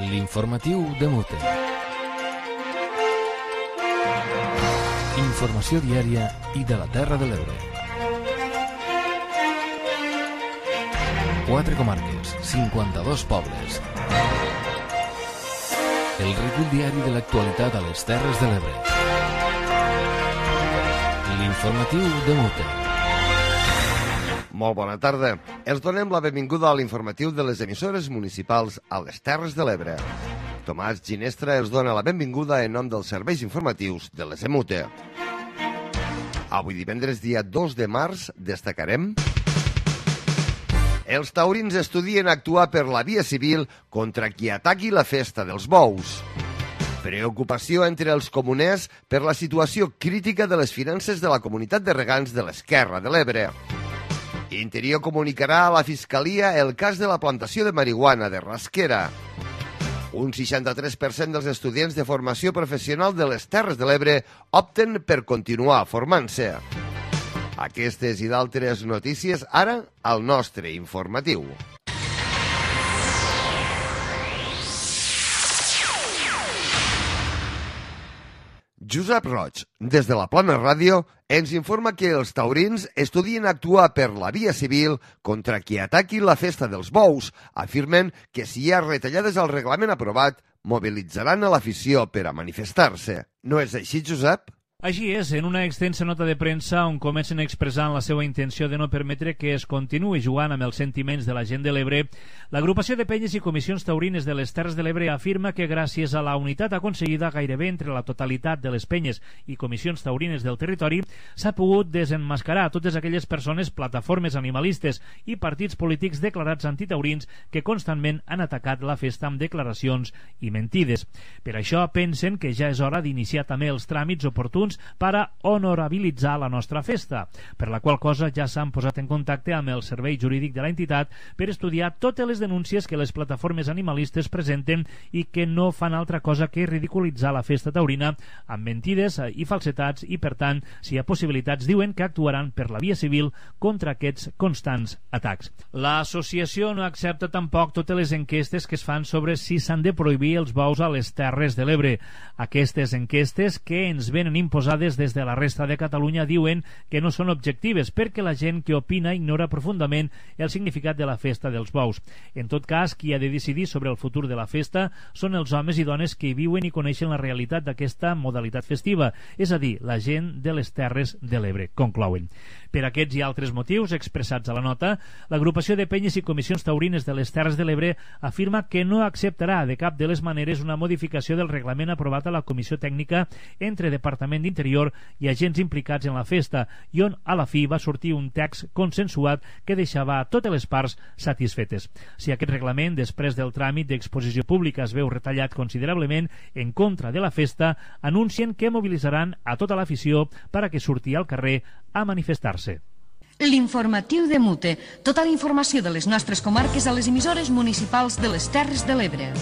L'informatiu de Mute. Informació diària i de la Terra de l'Ebre. 4 comarques, 52 pobles. El recull diari de l'actualitat a les Terres de l'Ebre. L'informatiu de Mute. Molt bona tarda. Els donem la benvinguda a l'informatiu de les emissores municipals a les Terres de l'Ebre. Tomàs Ginestra els dona la benvinguda en nom dels serveis informatius de les EMUTE. Avui divendres, dia 2 de març, destacarem: els taurins estudien actuar per la via civil contra qui ataqui la festa dels bous. Preocupació entre els comuners per la situació crítica de les finances de la comunitat de regants de l'Esquerra de l'Ebre. Interior comunicarà a la Fiscalia el cas de la plantació de marihuana de Rasquera. Un 63% dels estudiants de formació professional de les Terres de l'Ebre opten per continuar formant-se. Aquestes i d'altres notícies ara al nostre informatiu. Josep Roig, des de la Plana Ràdio, ens informa que els taurins estudien actuar per la via civil contra qui ataqui la festa dels bous. Afirmen que si hi ha retallades al reglament aprovat, mobilitzaran a l'afició per a manifestar-se. No és així, Josep? Així és, en una extensa nota de premsa on comencen expressant la seva intenció de no permetre que es continuï jugant amb els sentiments de la gent de l'Ebre, l'agrupació de penyes i comissions taurines de les Terres de l'Ebre afirma que gràcies a la unitat aconseguida gairebé entre la totalitat de les penyes i comissions taurines del territori s'ha pogut desenmascarar totes aquelles persones, plataformes animalistes i partits polítics declarats antitaurins que constantment han atacat la festa amb declaracions i mentides. Per això pensen que ja és hora d'iniciar també els tràmits oportuns per a honorabilitzar la nostra festa, per la qual cosa ja s'han posat en contacte amb el servei jurídic de l'entitat per estudiar totes les denúncies que les plataformes animalistes presenten i que no fan altra cosa que ridiculitzar la festa taurina amb mentides i falsetats i, per tant, si hi ha possibilitats, diuen que actuaran per la via civil contra aquests constants atacs. L'associació no accepta tampoc totes les enquestes que es fan sobre si s'han de prohibir els bous a les Terres de l'Ebre. Aquestes enquestes que ens venen imposades des de la resta de Catalunya diuen que no són objectives perquè la gent que opina ignora profundament el significat de la festa dels bous. En tot cas, qui ha de decidir sobre el futur de la festa són els homes i dones que viuen i coneixen la realitat d'aquesta modalitat festiva, és a dir, la gent de les Terres de l'Ebre, conclouen. Per aquests i altres motius expressats a la nota, l'agrupació de penyes i comissions taurines de les Terres de l'Ebre afirma que no acceptarà de cap de les maneres una modificació del reglament aprovat a la Comissió Tècnica entre Departament d'Interior i agents implicats en la festa i on a la fi va sortir un text consensuat que deixava a totes les parts satisfetes. Si aquest reglament, després del tràmit d'exposició pública, es veu retallat considerablement en contra de la festa, anuncien que mobilitzaran a tota l'afició per a que surti al carrer a manifestar-se. L'informatiu de Mute. Tota la informació de les nostres comarques a les emissores municipals de les Terres de l'Ebre.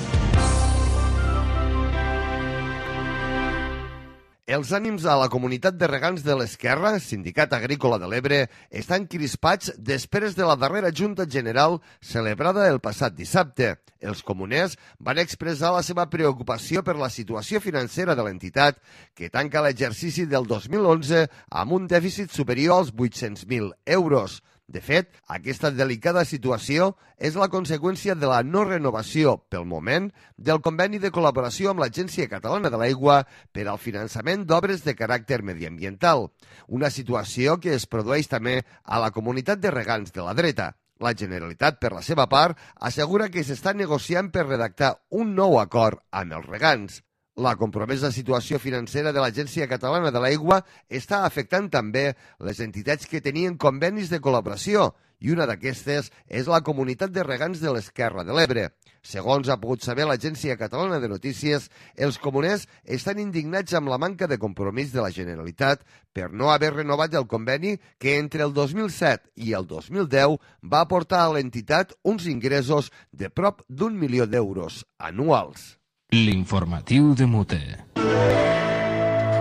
Els ànims a la comunitat de regants de l'Esquerra, Sindicat Agrícola de l'Ebre, estan crispats després de la darrera Junta General celebrada el passat dissabte. Els comuners van expressar la seva preocupació per la situació financera de l'entitat, que tanca l'exercici del 2011 amb un dèficit superior als 800.000 euros. De fet, aquesta delicada situació és la conseqüència de la no renovació, pel moment, del conveni de col·laboració amb l'Agència Catalana de l'Aigua per al finançament d'obres de caràcter mediambiental, una situació que es produeix també a la comunitat de regants de la dreta. La Generalitat, per la seva part, assegura que s'està negociant per redactar un nou acord amb els regants. La compromesa situació financera de l'Agència Catalana de l'Aigua està afectant també les entitats que tenien convenis de col·laboració i una d'aquestes és la comunitat de regants de l'Esquerra de l'Ebre. Segons ha pogut saber l'Agència Catalana de Notícies, els comuners estan indignats amb la manca de compromís de la Generalitat per no haver renovat el conveni que entre el 2007 i el 2010 va aportar a l'entitat uns ingressos de prop d'1 milió d'euros anuals. L'informatiu de Mute.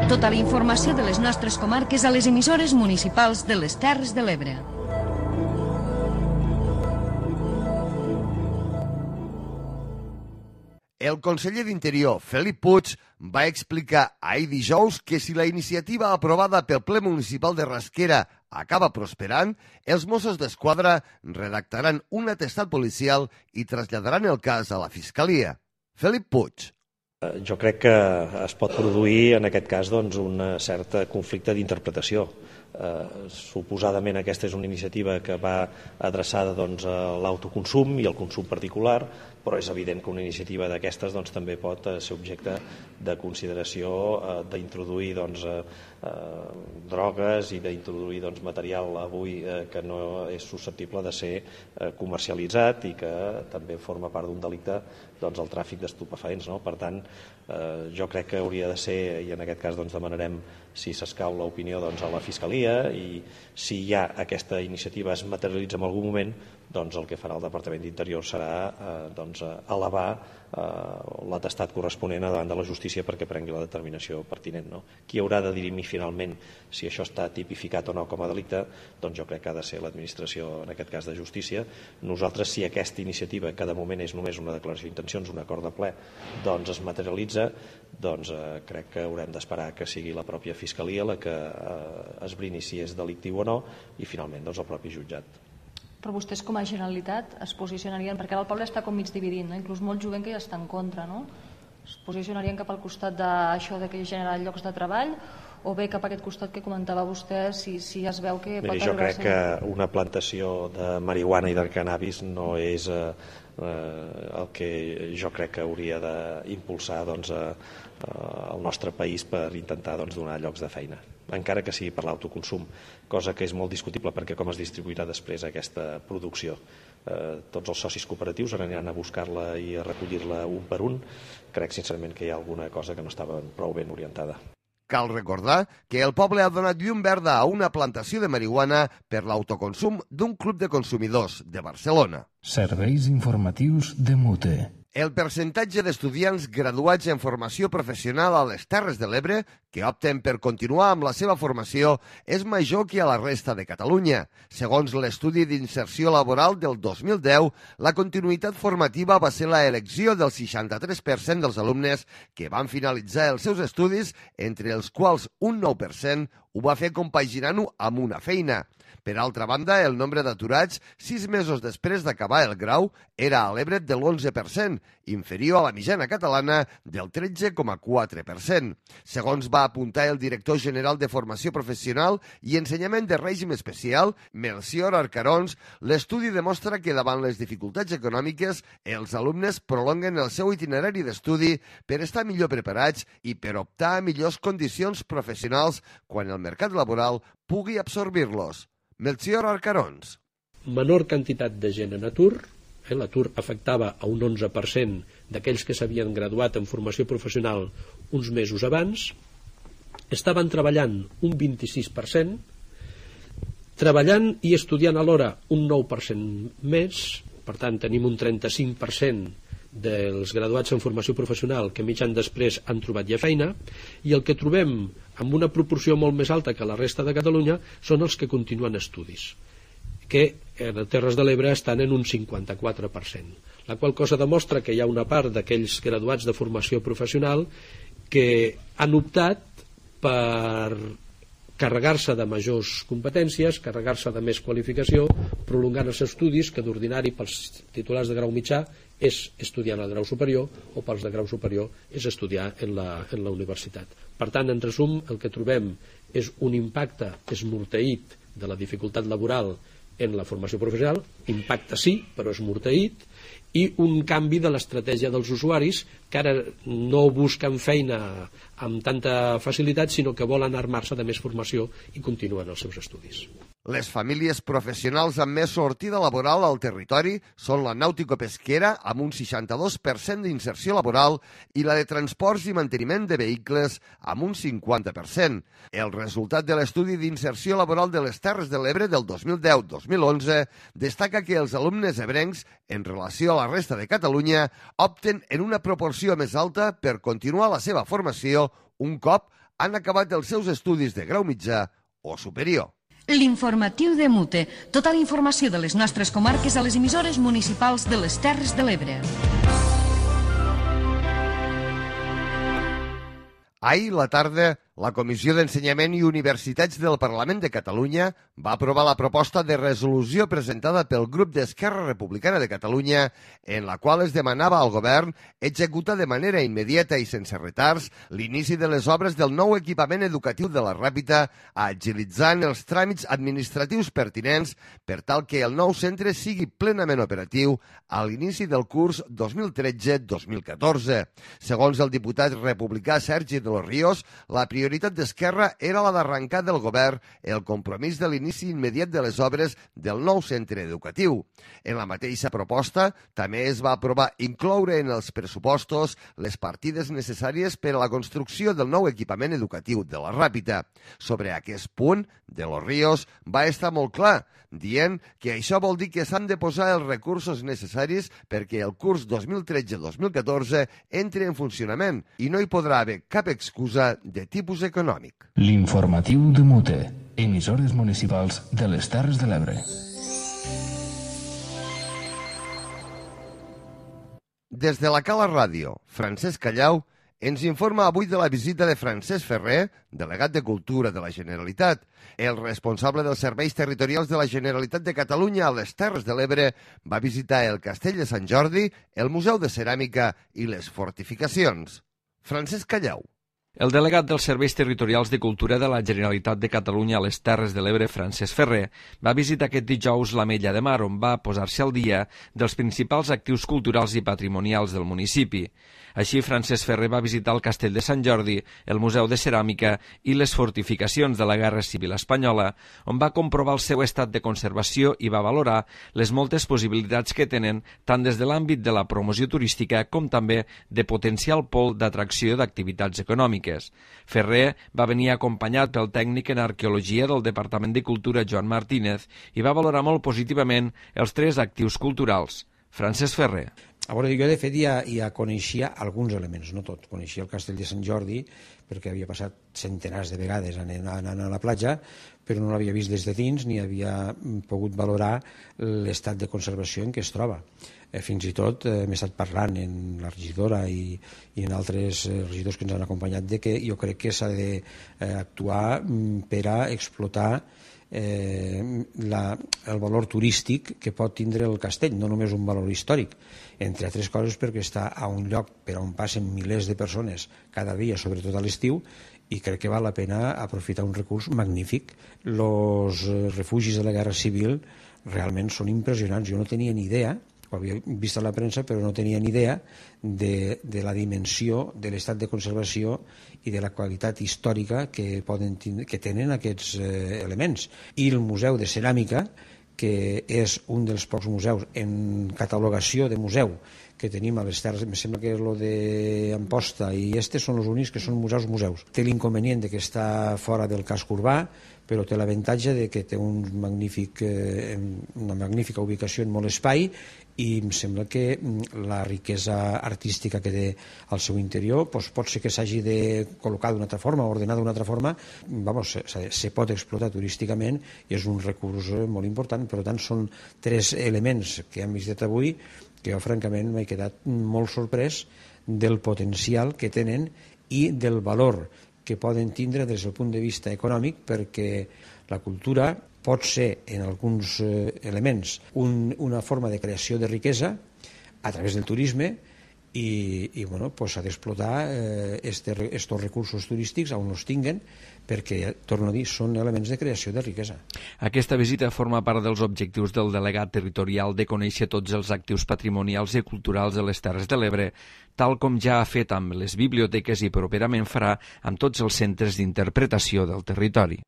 Tota la informació de les nostres comarques a les emissores municipals de les Terres de l'Ebre. El conseller d'Interior, Felip Puig, va explicar ahir dijous que si la iniciativa aprovada pel ple municipal de Rasquera acaba prosperant, els Mossos d'Esquadra redactaran un atestat policial i traslladaran el cas a la Fiscalia. Felip Puig. Jo crec que es pot produir, en aquest cas, un cert conflicte d'interpretació. Suposadament aquesta és una iniciativa que va adreçada a l'autoconsum i al consum particular, però és evident que una iniciativa d'aquestes també pot ser objecte de consideració d'introduir drogues i d'introduir material avui que no és susceptible de ser comercialitzat i que també forma part d'un delicte, el tràfic d'estupefaents. Per tant, jo crec que hauria de ser, i en aquest cas demanarem, si s'escau l'opinió, a la Fiscalia, i si ja aquesta iniciativa es materialitza en algun moment, el que farà el Departament d'Interior serà elevar l'atestat corresponent davant de la justícia perquè prengui la determinació pertinent. Qui haurà de dirimir finalment si això està tipificat o no com a delicte, jo crec que ha de ser l'administració, en aquest cas de justícia. Nosaltres, si aquesta iniciativa, que de moment és només una declaració d'intencions, un acord de ple, es materialitza, crec que haurem d'esperar que sigui la pròpia Fiscalia la que esbrini si és delictiu o no i finalment el propi jutjat. Però vostès com a Generalitat es posicionarien, perquè ara el poble està com mig dividint, inclús molt jovent que ja està en contra, es posicionarien cap al costat d'això que genera llocs de treball o bé cap a aquest costat que comentava vostè, si es veu que pot arribar a ser... Jo crec que una plantació de marihuana i de cannabis no és el que jo crec que hauria d'impulsar el nostre país per intentar donar llocs de feina, encara que sigui per l'autoconsum, cosa que és molt discutible perquè com es distribuirà després aquesta producció. Tots els socis cooperatius aniran a buscar-la i a recollir-la un per un. Crec sincerament que hi ha alguna cosa que no estava prou ben orientada. Cal recordar que el poble ha donat llum verda a una plantació de marihuana per l'autoconsum d'un club de consumidors de Barcelona. Serveis informatius de Mute. El percentatge d'estudiants graduats en formació professional a les Terres de l'Ebre que opten per continuar amb la seva formació és major que a la resta de Catalunya. Segons l'estudi d'inserció laboral del 2010, la continuïtat formativa va ser l'elecció del 63% dels alumnes que van finalitzar els seus estudis, entre els quals un 9% ho va fer compaginant-ho amb una feina. Per altra banda, el nombre d'aturats 6 mesos després d'acabar el grau era a l'Ebre de l'11%, inferior a la mitjana catalana del 13,4%. Segons va apuntar el director general de Formació Professional i Ensenyament de Règim Especial, Melcior Arcarons, l'estudi demostra que davant les dificultats econòmiques, els alumnes prolonguen el seu itinerari d'estudi per estar millor preparats i per optar a millors condicions professionals quan el mercat laboral pugui absorbir-los. Melcior Arcarons. Menor quantitat de gent en atur, l'atur afectava a un 11% d'aquells que s'havien graduat en formació professional uns mesos abans, estaven treballant un 26%, treballant i estudiant alhora un 9% més, per tant tenim un 35% dels graduats en formació professional que mig any després han trobat ja feina, i el que trobem amb una proporció molt més alta que la resta de Catalunya són els que continuen estudis, que a les Terres de l'Ebre estan en un 54%, la qual cosa demostra que hi ha una part d'aquells graduats de formació professional que han optat per carregar-se de majors competències, carregar-se de més qualificació, prolongant els estudis, que d'ordinari pels titulars de grau mitjà és estudiar en el grau superior, o pels de grau superior és estudiar en la universitat. Per tant, en resum, el que trobem és un impacte esmorteït de la dificultat laboral en la formació professional, impacte sí, però esmorteït, i un canvi de l'estratègia dels usuaris que ara no busquen feina amb tanta facilitat, sinó que volen armar-se de més formació i continuen els seus estudis. Les famílies professionals amb més sortida laboral al territori són la nàutico-pesquera, amb un 62% d'inserció laboral, i la de transports i manteniment de vehicles, amb un 50%. El resultat de l'estudi d'inserció laboral de les Terres de l'Ebre del 2010-2011 destaca que els alumnes ebrencs, en relació a la resta de Catalunya, opten en una proporció més alta per continuar la seva formació un cop han acabat els seus estudis de grau mitjà o superior. L'informatiu de Mute. Tota la informació de les nostres comarques a les emissores municipals de les Terres de l'Ebre. Ahir la tarda, la Comissió d'Ensenyament i Universitats del Parlament de Catalunya va aprovar la proposta de resolució presentada pel grup d'Esquerra Republicana de Catalunya, en la qual es demanava al govern executar de manera immediata i sense retards l'inici de les obres del nou equipament educatiu de la Ràpita, agilitzant els tràmits administratius pertinents per tal que el nou centre sigui plenament operatiu a l'inici del curs 2013-2014. Segons el diputat republicà Sergi de los Ríos, la prioritat d'Esquerra era la d'arrencar del govern el compromís de l'inici immediat de les obres del nou centre educatiu. En la mateixa proposta també es va aprovar incloure en els pressupostos les partides necessàries per a la construcció del nou equipament educatiu de la Ràpita. Sobre aquest punt, de los Ríos va estar molt clar, dient que això vol dir que s'han de posar els recursos necessaris perquè el curs 2013-2014 entri en funcionament i no hi podrà haver cap excusa de tipus econòmic. L'informatiu de Mute, emissores municipals de les Terres de l'Ebre. Des de la Cala Ràdio, Francesc Callau ens informa avui de la visita de Francesc Ferrer, delegat de Cultura de la Generalitat. El responsable dels serveis territorials de la Generalitat de Catalunya a les Terres de l'Ebre va visitar el Castell de Sant Jordi, el Museu de Ceràmica i les fortificacions. Francesc Callau. El delegat dels Serveis Territorials de Cultura de la Generalitat de Catalunya a les Terres de l'Ebre, Francesc Ferrer, va visitar aquest dijous l'Ametlla de Mar, on va posar-se al dia dels principals actius culturals i patrimonials del municipi. Així, Francesc Ferrer va visitar el Castell de Sant Jordi, el Museu de Ceràmica i les fortificacions de la Guerra Civil Espanyola, on va comprovar el seu estat de conservació i va valorar les moltes possibilitats que tenen tant des de l'àmbit de la promoció turística com també de potencial pol d'atracció d'activitats econòmiques. Ferrer va venir acompanyat pel tècnic en arqueologia del Departament de Cultura, Joan Martínez, i va valorar molt positivament els 3 actius culturals. Francesc Ferrer. A veure, jo de fet ja coneixia alguns elements, no tot. Coneixia el Castell de Sant Jordi perquè havia passat centenars de vegades anant a la platja, però no l'havia vist des de dins ni havia pogut valorar l'estat de conservació en què es troba. Fins i tot m'he estat parlant en la regidora i en altres regidors que ens han acompanyat de que jo crec que s'ha d'actuar per a explotar el valor turístic que pot tindre el castell, no només un valor històric, entre altres coses perquè està a un lloc per on passen milers de persones cada dia, sobretot a l'estiu, i crec que val la pena aprofitar un recurs magnífic. Els refugis de la Guerra Civil realment són impressionants. Jo no tenia ni idea, ho havia vist a la premsa, però no tenia ni idea de la dimensió de l'estat de conservació i de la qualitat històrica que tenen aquests elements. I el Museu de Ceràmica, que és un dels pocs museus en catalogació de museu que tenim a les Terres, em sembla que lo d'Amposta i són els únics que són museus. Té l'inconvenient que està fora del casc urbà, però té l'avantatge de que té una magnífica ubicació en molt espai i em sembla que la riquesa artística que té al seu interior pot ser que s'hagi de col·locar d'una altra forma, ordenar d'una altra forma, se pot explotar turísticament i és un recurs molt important. Per tant, són 3 elements que hem visitat avui que jo francament m'he quedat molt sorprès del potencial que tenen i del valor que poden tindre des del punt de vista econòmic, perquè la cultura pot ser en alguns elements una forma de creació de riquesa a través del turisme i s'ha d'explotar estos recursos turístics on els tinguen, perquè, torno a dir, són elements de creació de riquesa. Aquesta visita forma part dels objectius del delegat territorial de conèixer tots els actius patrimonials i culturals de les Terres de l'Ebre, tal com ja ha fet amb les biblioteques i properament farà amb tots els centres d'interpretació del territori.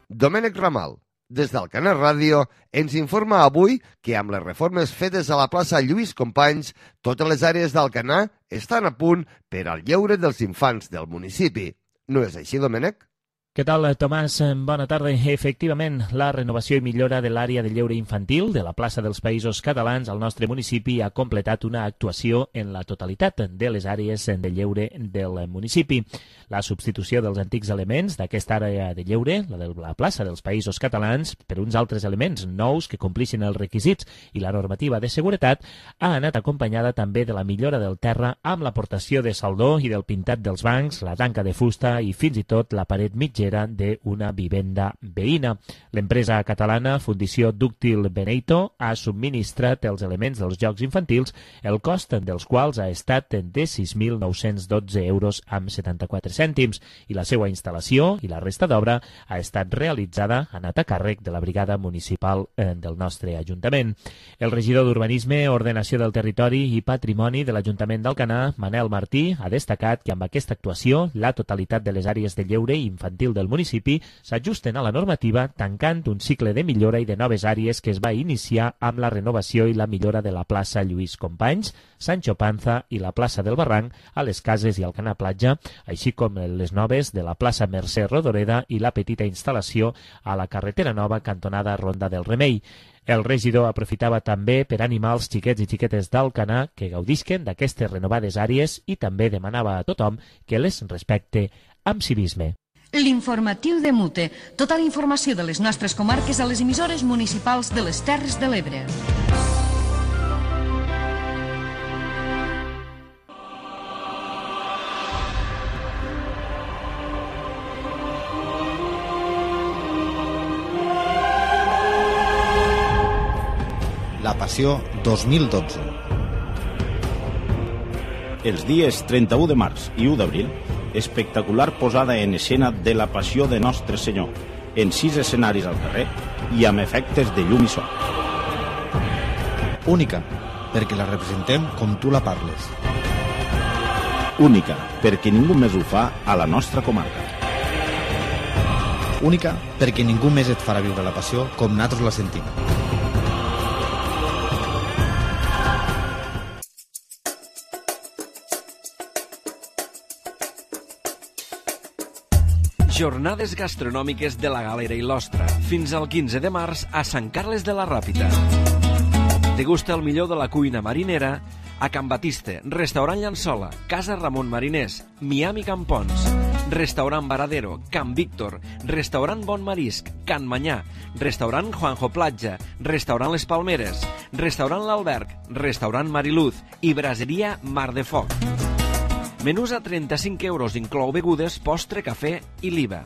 Domènec Ramal, des d'Alcanar Ràdio, ens informa avui que amb les reformes fetes a la plaça Lluís Companys, totes les àrees d'Alcanar estan a punt per al lleure dels infants del municipi. No és així, Domènec? Què tal, Tomàs? Bona tarda. Efectivament, la renovació i millora de l'àrea de lleure infantil de la plaça dels Països Catalans al nostre municipi ha completat una actuació en la totalitat de les àrees de lleure del municipi. La substitució dels antics elements d'aquesta àrea de lleure, la de la plaça dels Països Catalans, per uns altres elements nous que complixin els requisits i la normativa de seguretat, ha anat acompanyada també de la millora del terra amb l'aportació de saldó i del pintat dels bancs, la tanca de fusta i fins i tot la paret mitgera d'una vivenda veïna. L'empresa catalana Fundició Dúctil Beneito ha subministrat els elements dels jocs infantils, el cost dels quals ha estat de 6.912 euros amb 74 cèntims i la seva instal·lació i la resta d'obra ha estat realitzada, ha anat a càrrec de la brigada municipal del nostre Ajuntament. El regidor d'Urbanisme, Ordenació del Territori i Patrimoni de l'Ajuntament d'Alcanar, Manel Martí, ha destacat que amb aquesta actuació la totalitat de les àrees de lleure infantil del municipi s'ajusten a la normativa, tancant un cicle de millora i de noves àrees que es va iniciar amb la renovació i la millora de la plaça Lluís Companys, Sancho Panza i la plaça del Barranc a les Cases i Alcanar Platja, així com les noves de la plaça Mercè Rodoreda i la petita instal·lació a la carretera nova cantonada Ronda del Remei. El regidor aprofitava també per animar els xiquets i xiquetes d'Alcanar que gaudisquen d'aquestes renovades àrees i també demanava a tothom que les respecte amb civisme. L'informatiu de Mute. Tota la informació de les nostres comarques a les emissores municipals de les Terres de l'Ebre. La Passió 2012. Els dies 31 de març i 1 d'abril, espectacular posada en escena de la Passió de Nostre Senyor, en 6 escenaris al carrer i amb efectes de llum i so. Única, perquè la representem com tu la parles. Única, perquè ningú més ho fa a la nostra comarca. Única, perquè ningú més et farà viure la passió com nosaltres la sentim. Jornades gastronòmiques de la Galera i l'Ostra, fins al 15 de març a Sant Carles de la Ràpita. Degusta el millor de la cuina marinera a Can Batiste, Restaurant Llançola, Casa Ramon Mariners, Miami Campons, Restaurant Varadero, Can Víctor, Restaurant Bon Marisc, Can Manyà, Restaurant Juanjo Platja, Restaurant Les Palmeres, Restaurant L'Alberg, Restaurant Mariluz i Braseria Mar de Foc. Menús a 35 euros, inclou begudes, postre, cafè i l'IVA.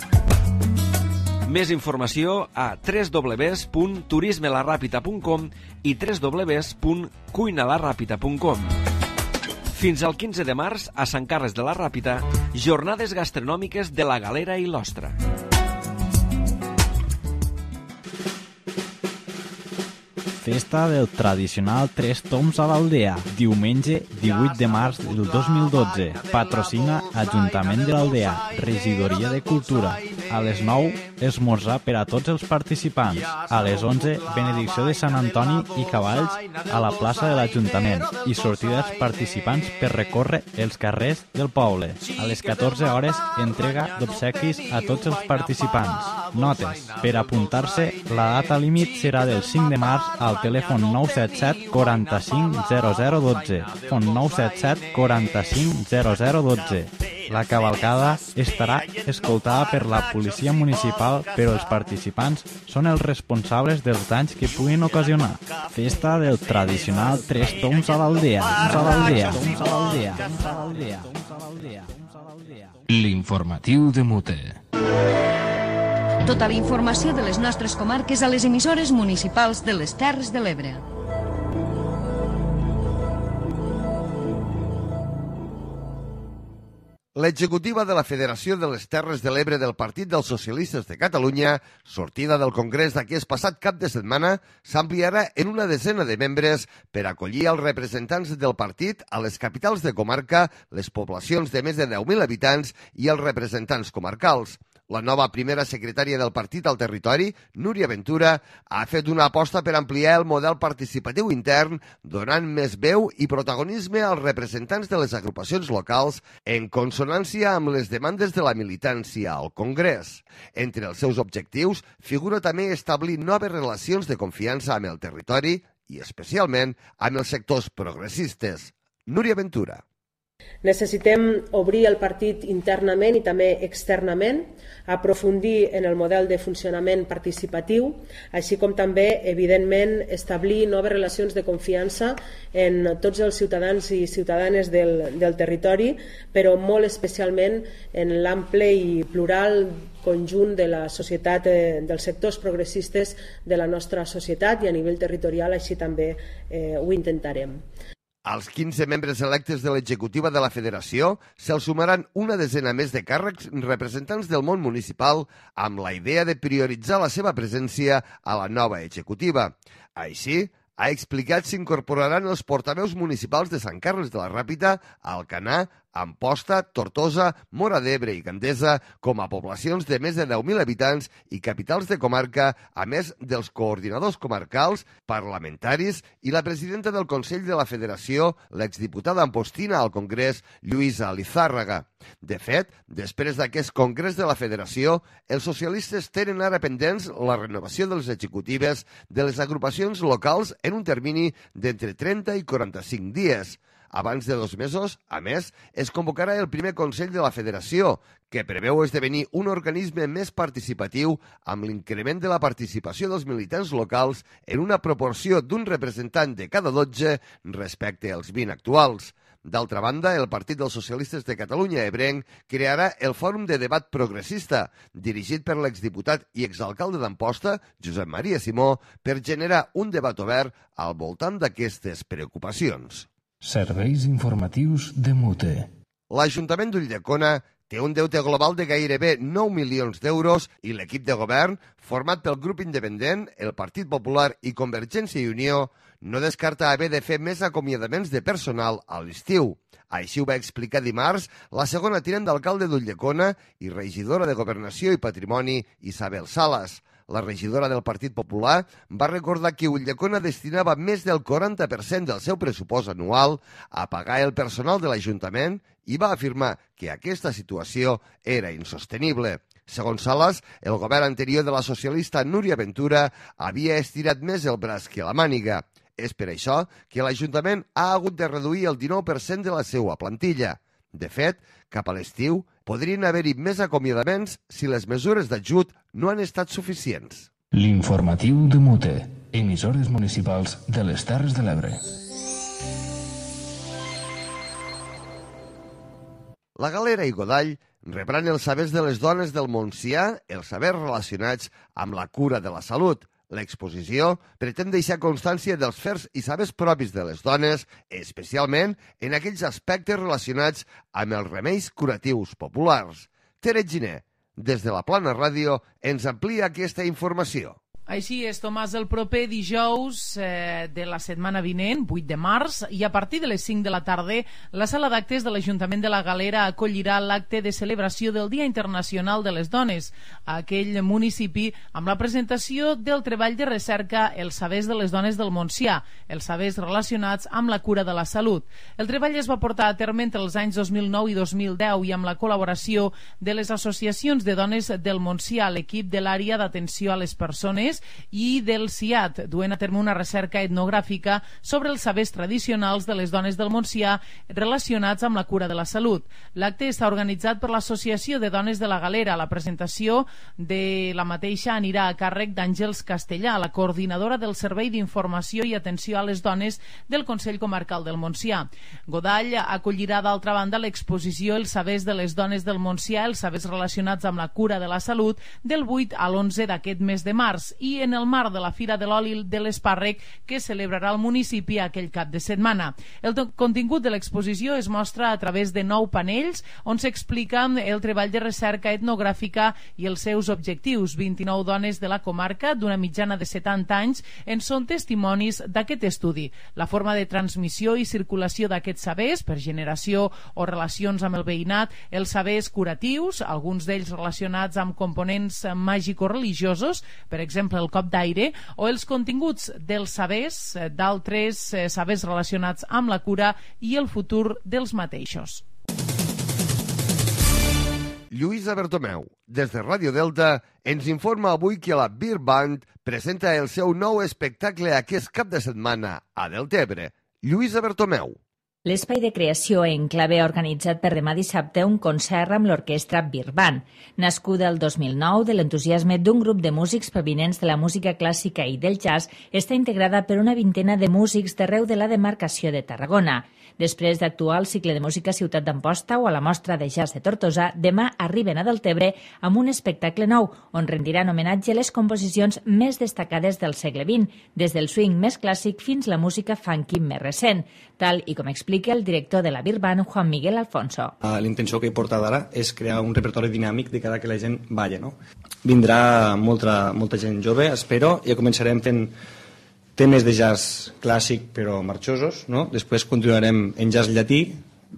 Més informació a www.turismelarrapita.com i www.cuinalarrapita.com. Fins al 15 de març, a Sant Carles de la Ràpita, jornades gastronòmiques de la Galera i l'Ostra. Festa del tradicional Tres Toms a l'Aldea, diumenge 18 de març del 2012. Patrocina Ajuntament de l'Aldea, Regidoria de Cultura. A les 9, esmorzar per a tots els participants. A les 11, benedicció de Sant Antoni i cavalls a la plaça de l'Ajuntament i sortida dels participants per recórrer els carrers del poble. A les 14 hores, entrega d'obsequis a tots els participants. Notes. Per apuntar-se, la data límit serà del 5 de març al telèfon 977 45 0012. Telèfon 977 45 0012. La cavalcada estarà escoltada per la policia municipal, però els participants són els responsables dels danys que puguin ocasionar. Festa del tradicional Tres Toms a l'Aldea. L'informatiu de Mute. Tota la informació de les nostres comarques a les emissores municipals de les Terres de l'Ebre. L'executiva de la Federació de les Terres de l'Ebre del Partit dels Socialistes de Catalunya, sortida del Congrés d'aquest passat cap de setmana, s'ampliarà en una desena de membres per acollir els representants del partit a les capitals de comarca, les poblacions de més de 10.000 habitants i els representants comarcals. La nova primera secretària del partit al territori, Núria Ventura, ha fet una aposta per ampliar el model participatiu intern, donant més veu i protagonisme als representants de les agrupacions locals en consonància amb les demandes de la militància al Congrés. Entre els seus objectius figura també establir noves relacions de confiança amb el territori i especialment amb els sectors progressistes. Núria Ventura. Necessitem obrir el partit internament i també externament, aprofundir en el model de funcionament participatiu, així com també, evidentment, establir noves relacions de confiança en tots els ciutadans i ciutadanes del territori, però molt especialment en l'ample i plural conjunt de la societat, dels sectors progressistes de la nostra societat, i a nivell territorial així també ho intentarem. Als 15 membres electes de l'executiva de la Federació se'ls sumaran una desena més de càrrecs representants del món municipal amb la idea de prioritzar la seva presència a la nova executiva. Així, ha explicat s'incorporaran els portaveus municipals de Sant Carles de la Ràpita, Alcanar, Amposta, Tortosa, Móra d'Ebre i Gandesa com a poblacions de més de 10.000 habitants i capitals de comarca, a més dels coordinadors comarcals, parlamentaris i la presidenta del Consell de la Federació, l'exdiputada ampostina al Congrés, Lluïsa Lizárraga. De fet, després d'aquest Congrés de la Federació, els socialistes tenen ara pendents la renovació de les executives de les agrupacions locals en un termini d'entre 30 i 45 dies. Abans de 2 mesos, a més, es convocarà el primer Consell de la Federació, que preveu esdevenir un organisme més participatiu amb l'increment de la participació dels militants locals en una proporció d'un representant de cada 12 respecte als 20 actuals. D'altra banda, el Partit dels Socialistes de Catalunya ebrenc crearà el Fòrum de Debat Progressista, dirigit per l'exdiputat i exalcalde d'Amposta, Josep Maria Simó, per generar un debat obert al voltant d'aquestes preocupacions. Serveis informatius de Mute. L'Ajuntament d'Ulldecona té un deute global de gairebé 9 milions d'euros i l'equip de govern, format pel grup independent, el Partit Popular i Convergència i Unió, no descarta haver de fer més acomiadaments de personal a l'estiu. Així ho va explicar dimarts la segona tinent d'alcalde d'Ulldecona i regidora de Governació i Patrimoni, Isabel Salas. La regidora del Partit Popular va recordar que Ulldecona destinava més del 40% del seu pressupost anual a pagar el personal de l'Ajuntament i va afirmar que aquesta situació era insostenible. Segons Salas, el govern anterior de la socialista Núria Ventura havia estirat més el braç que la màniga. És per això que l'Ajuntament ha hagut de reduir el 19% de la seva plantilla. De fet, cap a l'estiu podrien haver-hi més acomiadaments si les mesures d'ajut no han estat suficients. L'informatiu de Mute, emissores municipals de les Terres de l'Ebre. La Galera i Godall rebran els sabers de les dones del Montsià, els sabers relacionats amb la cura de la salut. L'exposició pretén deixar constància dels fers i sabers propis de les dones, especialment en aquells aspectes relacionats amb els remeis curatius populars. Tere Giner, des de la Plana Ràdio, ens amplia aquesta informació. Així és, Tomàs, el proper dijous de la setmana vinent, 8 de març, i a partir de les 5 de la tarda, la sala d'actes de l'Ajuntament de la Galera acollirà l'acte de celebració del Dia Internacional de les Dones a aquell municipi amb la presentació del treball de recerca Els sabers de les dones del Montsià, els sabers relacionats amb la cura de la salut. El treball es va portar a terme entre els anys 2009 i 2010 i amb la col·laboració de les associacions de dones del Montsià, l'equip de l'àrea d'atenció a les persones i del CIAT, duent a terme una recerca etnogràfica sobre els sabers tradicionals de les dones del Montsià relacionats amb la cura de la salut. L'acte està organitzat per l'Associació de Dones de la Galera. La presentació de la mateixa anirà a càrrec d'Àngels Castellà, la coordinadora del Servei d'Informació i Atenció a les Dones del Consell Comarcal del Montsià. Godall acollirà d'altra banda l'exposició Els sabers de les dones del Montsià, els sabers relacionats amb la cura de la salut, del 8 a l'11 d'aquest mes de març, i i en el marc de la Fira de l'Oli de l'Espàrrec que celebrarà el municipi aquell cap de setmana. El contingut de l'exposició es mostra a través de 9 panells on s'explica el treball de recerca etnogràfica i els seus objectius. 29 dones de la comarca d'una mitjana de 70 anys en són testimonis d'aquest estudi. La forma de transmissió i circulació d'aquests sabers per generació o relacions amb el veïnat, els sabers curatius, alguns d'ells relacionats amb components màgico-religiosos, per exemple el cop d'aire, o els continguts dels sabers, d'altres sabers relacionats amb la cura i el futur dels mateixos. Lluïsa Bertomeu, des de Ràdio Delta, ens informa avui que la Beer Band presenta el seu nou espectacle aquest cap de setmana a Deltebre. Lluïsa Bertomeu. L'Espai de Creació Enclave ha organitzat per demà dissabte un concert amb l'orquestra Beer Band, nascuda el 2009 de l'entusiasme d'un grup de músics provinents de la música clàssica i del jazz. Està integrada per una vintena de músics d'arreu de la demarcació de Tarragona. Després d'actuar al cicle de música Ciutat d'Amposta o a la mostra de jazz de Tortosa, demà arriben a Deltebre amb un espectacle nou on rendiran homenatge a les composicions més destacades del segle XX, des del swing més clàssic fins la música funky més recent, tal i com explica el director de la Beer Band, Juan Miguel Alfonso. La intenció que he portat ara és crear un repertori dinàmic de cara que la gent balla, no? Vindrà molta gent jove, espero, i començarem fent temes de jazz clàssic però marxosos, no? Després continuarem en jazz llatí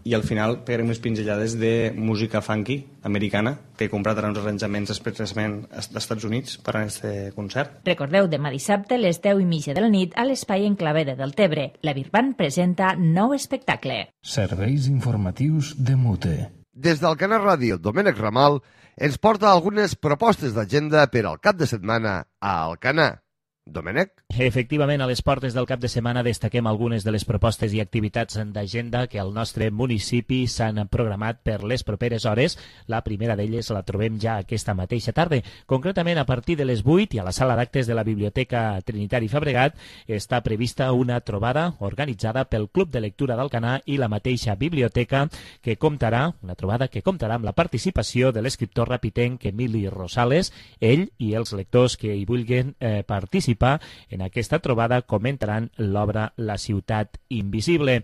i al final pegarem unes pinzellades de música funky americana que he comprat ara uns arranjaments expressament als Estats Units per a aquest concert. Recordeu, demà dissabte a les 10:30 de la nit a l'Espai Enclave de Deltebre. La Beer Band presenta nou espectacle. Serveis informatius de Mute. Des del Canal Ràdio, Domènec Ramal ens porta algunes propostes d'agenda per al cap de setmana a Alcanar. Domènec? Efectivament, a les portes del cap de setmana destaquem algunes de les propostes i activitats d'agenda que al nostre municipi s'han programat per les properes hores. La primera d'elles la trobem ja aquesta mateixa tarda. Concretament, a partir de les 8 i a la sala d'actes de la Biblioteca Trinitari Fabregat està prevista una trobada organitzada pel Club de Lectura d'Alcanar i la mateixa biblioteca una trobada que comptarà amb la participació de l'escriptor rapitenc Emili Rosales. Ell i els lectors que hi vulguin participar en aquesta trobada comentaran l'obra La ciutat invisible.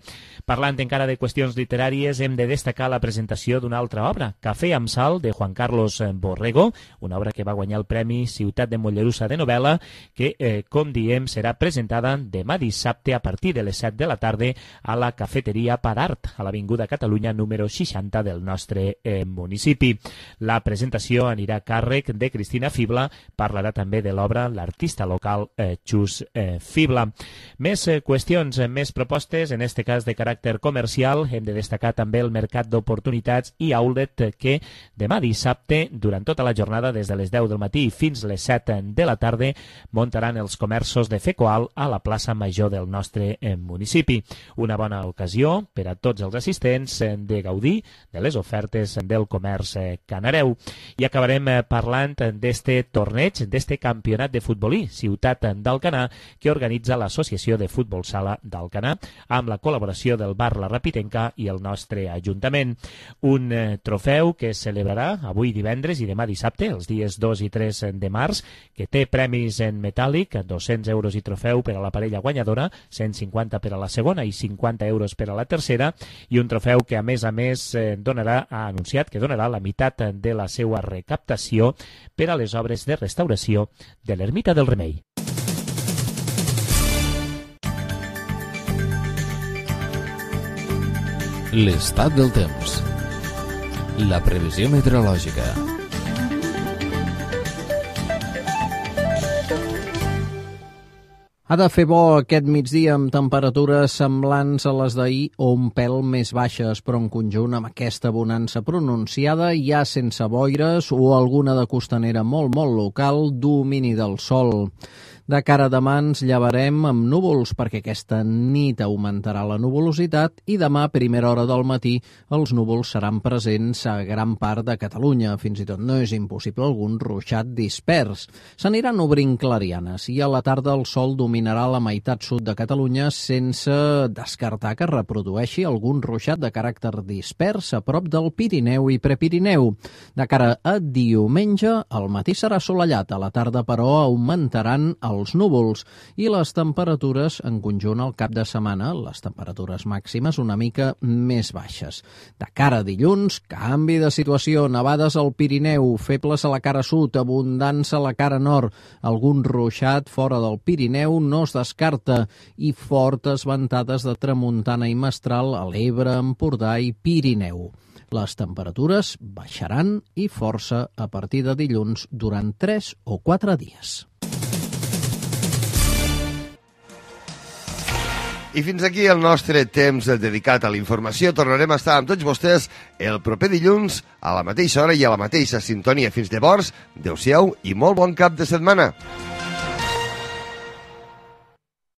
Parlant encara de qüestions literàries, hem de destacar la presentació d'una altra obra, Cafè amb sal, de Juan Carlos Borrego, una obra que va guanyar el Premi Ciutat de Mollerussa de novel·la, que, com diem, serà presentada demà dissabte a partir de les 7 de la tarda a la Cafeteria Parart, a l'Avinguda Catalunya número 60 del nostre municipi. La presentació anirà a càrrec de Cristina Fibla, parlarà també de l'obra L'artista local Xus Fibla. Més qüestions, més propostes, en este cas de caràcter comercial. Hem de destacar també el Mercat d'Oportunitats i Outlet que demà dissabte, durant tota la jornada, des de les 10 del matí fins les 7 de la tarda, muntaran els comerços de Fecoal a la plaça Major del nostre municipi. Una bona ocasió per a tots els assistents de gaudir de les ofertes del comerç canareu. I acabarem parlant d'este torneig, d'este campionat de futbolí, Ciutat d'Alcanar, que organitza l'Associació de Futbol Sala d'Alcanar amb la col·laboració del Bar La Rapitenca i el nostre Ajuntament. Un trofeu que es celebrarà avui divendres i demà dissabte, els dies 2 i 3 de març, que té premis en metàl·lic, 200 euros i trofeu per a la parella guanyadora, 150 per a la segona i 50 euros per a la tercera, i un trofeu que a més ha anunciat que donarà la meitat de la seva recaptació per a les obres de restauració de l'Ermita del Remei. L'estat del temps. La previsió meteorològica. Ha de fer bo aquest migdia amb temperatures semblants a les d'ahir o un pèl més baixes, però en conjunt amb aquesta bonança pronunciada, ja sense boires o alguna de costanera molt local, domini del sol. De cara a demà ens llevarem amb núvols perquè aquesta nit augmentarà la nuvolositat i demà a primera hora del matí els núvols seran presents a gran part de Catalunya. Fins i tot no és impossible algun ruixat dispers. S'aniran obrint clarianes i a la tarda el sol dominarà la meitat sud de Catalunya sense descartar que reprodueixi algun ruixat de caràcter dispers a prop del Pirineu i Prepirineu. De cara a diumenge, al matí serà assolellat, a la tarda però augmentaran els núvols i les temperatures en conjunt al cap de setmana, les temperatures màximes una mica més baixes. De cara a dilluns, canvi de situació, nevades al Pirineu, febles a la cara sud, abundants a la cara nord, algun ruixat fora del Pirineu no es descarta i fortes ventades de tramuntana i mestral a l'Ebre, Empordà i Pirineu. Les temperatures baixaran i força a partir de dilluns durant 3 o 4 dies. I fins aquí el nostre temps dedicat a la informació. Tornarem a estar amb tots vostès el proper dilluns a la mateixa hora i a la mateixa sintonia. Fins llavors, adeu-siau i molt bon cap de setmana.